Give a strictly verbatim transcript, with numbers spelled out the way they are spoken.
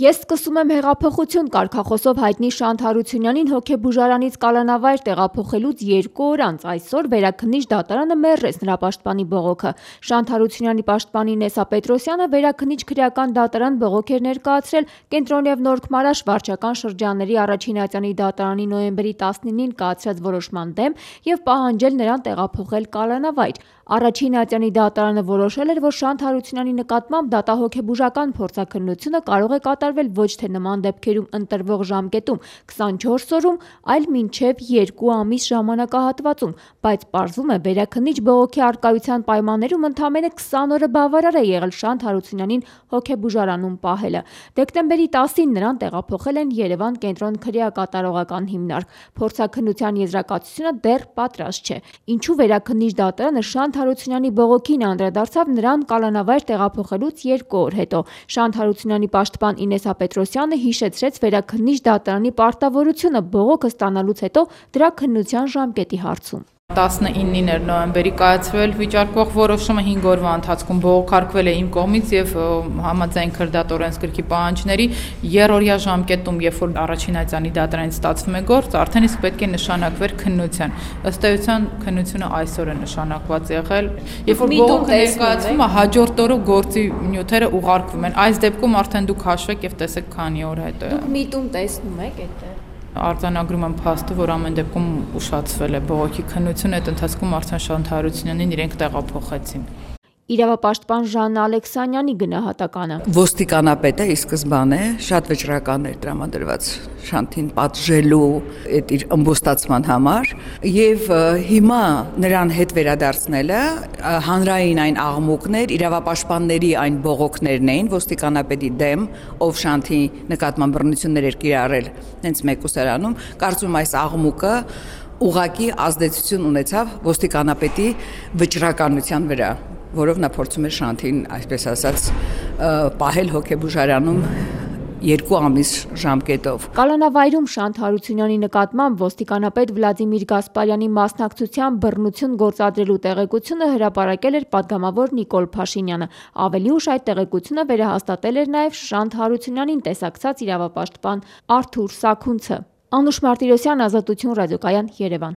Ես սկսում եմ հեղափոխություն կարգախոսով հայտնի Շանթ Հարությունյանին հոգեբուժարանից կալանավայր տեղափոխելուց երկու օր անց այսօր Վերաքննիչ դատարանը մերժեց նրա պաշտպանի բողոքը։ Շանթ Հարությունյանի պաշտպանի Նեսա Պետրոսյանը Վերաքննիչ քրեական դատարան բողոք էր ներկայացրել Կենտրոն և Նորք-Մարաշ վարչական շրջանների առաջին ատյանի դատարանի նոյեմբերի տասնինին կայացրած որոշման դեմ և պահանջել նրան տեղափոխել կալանավայր։ Առաջին ատյանի դատարանը որոշել էր, որ Շանթ Հարությունյանի նկատմամբ դատահոգեբուժական փորձաքննությունը կարող է կատարվել ոչ թե նման դեպքերում ընտրվող ժամկետում քսանչորս օրում, այլ մինչև երկու ամիս ժամանակահատվածում, բայց պարզվում է Վերաքննիչ բողոքի առկայության պայմաններում ընդամենը քսան օրը բավարար է եղել Շանթ Հարությունյանին հոգեբուժարանում պահելը։ Դեկտեմբերի տասին նրան տեղափոխել են Երևան կենտրոն քրեակատարողական հիմնարկ։ Փորձաքննության եզրակացությունը դեռ պատրաստ չէ։ Ինչու Վերաքննիչ դատարանը Շանթ Հարությունյանի բողոքին անդրադարձավ նրան կալանավայր տեղափոխելուց երկու օր հետո։ Շանթ Հարությունյանի պաշտպան Նեսա Պետրոսյանը հիշեցրեց Վերաքննիչ դատարանի պարտավորությունը բողոքը ստանալուց հետո դրա քննության ժամկետի հարցում։ տասնինին էր նոյեմբերի կայացվել վիճարկվող որոշումը, հինգ օրվա ընթացքում բողոքարկվել է իմ կողմից եւ համաձայն քրդատ օրենսգրքի պահանջների երրորդյա ժամկետում, երբ որ առաջին ատյանի դատարանից ստացվում է գործ, արդեն իսկ պետք է նշանակվեր քննության։ Ըստ էության քննությունը այսօր է նշանակված եղել, երբ որ բողոքը ներկայացվում է, հաջորդ օրը գործի նյութերը ուղարկվում են։ Այս դեպքում արդեն դուք հաշվեք եւ տեսեք քանի օր հետո է։ Դուք միտում տեսնում եք այդտեղ։ Արձանագրում եմ փաստը, որ ամեն դեպքում ուշացվել է բողոքի քննությունը, այդ ընթացքում արդեն Շանթ Հարությունյանին իրենք տեղափոխեցին։ Իրավապաշտպան Ժաննա Ալեքսանյանի գնահատականը. Ոստիկանապետը ի սկզբանե շատ վճռական էր տրամադրված Շանթին պատժելու այդ իր ըմբոստացման համար եւ հիմա նրան հետ վերադարձնելը հանրային այն աղմուկներ, իրավապաշտպանների այն բողոքներն էին ոստիկանապետի դեմ, ով Շանթի նկատմամբ բռնություններ էր կիրառել հենց մեկուսարանում, կարծում այս աղմուկը ուղղակի ազդեցություն ունեցավ ոստիկանապետի վճռականության վրա, որով նա փորձում էր Շանթին, այսպես ասած, պահել հոգեբուժարանում երկու ամիս ժամկետով։ Կալանավայրում Շանթ Հարությունյանի նկատմամբ ոստիկանապետ Վլադիմիր Գասպարյանի մասնակցությամբ բռնություն գործադրելու տեղեկությունը հրապարակել էր պատգամավոր Նիկոլ Փաշինյանը։ Ավելի ուշ այդ տեղեկությունը վերահաստատել էր նաև Շանթ Հարությունյանին տեսակցած իրավապաշտպան Արթուր Սաքունցը։ Անուշ Մարտիրոսյան, Ազատություն ռադիոկայան, Երևան։